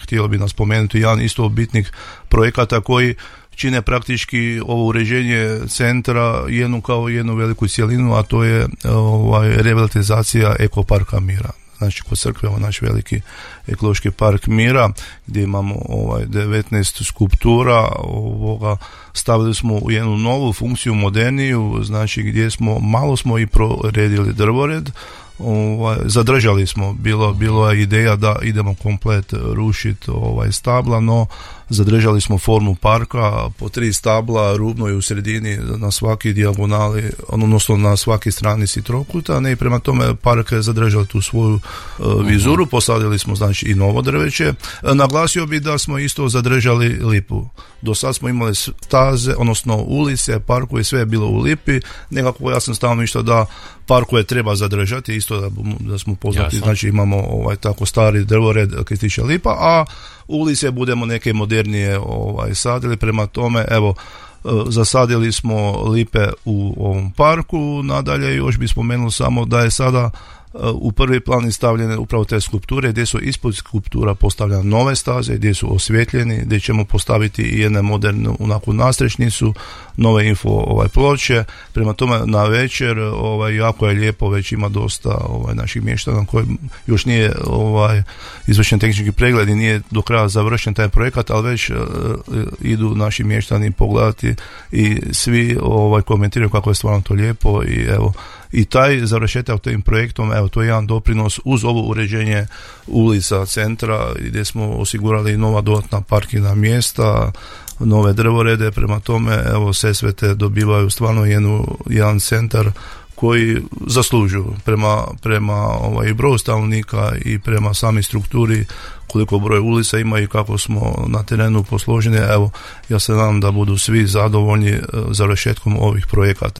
htjelo bi nas spomenuti jedan isto od bitnih projekata koji čine praktički ovo uređenje centra jednu veliku cjelinu, a to je revitalizacija ekoparka Mira. Znači kod crkve naš veliki ekološki park Mira gdje imamo 19 skulptura, stavili smo u jednu novu funkciju, moderniju, znači gdje malo smo i proredili drvored. Zadržali smo, bilo je ideja da idemo komplet rušiti stabla, no zadržali smo formu parka, po 3 stabla, rubno i u sredini na svaki dijagonali, odnosno na svaki stranici trokuta, i prema tome park je zadržao tu svoju vizuru. Posadili smo znači i novo drveće. Naglasio bi da smo isto zadržali lipu. Do sad smo imali staze, odnosno ulice, parkove, sve je bilo u lipi. Nekako ja sam stalno išao da parkove treba zadržati, isto da smo poznati. Jasno. Znači imamo tako stari drvored koji se tiče lipa, a ulice budemo neke modernije sadili. Prema tome, evo, zasadili smo lipe u ovom parku. Nadalje još bih spomenuo samo da je sada u prvi plan stavljene upravo te skulpture, gdje su ispod skulptura postavljene nove staze, gdje su osvjetljeni, gdje ćemo postaviti i jednu modernu nadstrešnicu, nove info ploče. Prema tome na večer jako je lijepo, već ima dosta naših mještana koji još nije izvršen tehnički pregled i nije do kraja završen taj projekat, ali već idu naši mještani pogledati i svi komentiraju kako je stvarno to lijepo. I evo, i taj završetak tim projektom, evo, to je jedan doprinos uz ovo uređenje ulica centra gdje smo osigurali nova dodatna parkirna mjesta, nove drvorede. Prema tome, evo, Sesvete dobivaju stvarno jedan centar koji zaslužuju prema broju stanovnika i prema sami strukturi, koliko broj ulica ima i kako smo na terenu posloženi. Evo, ja se nadam da budu svi zadovoljni završetkom ovih projekata.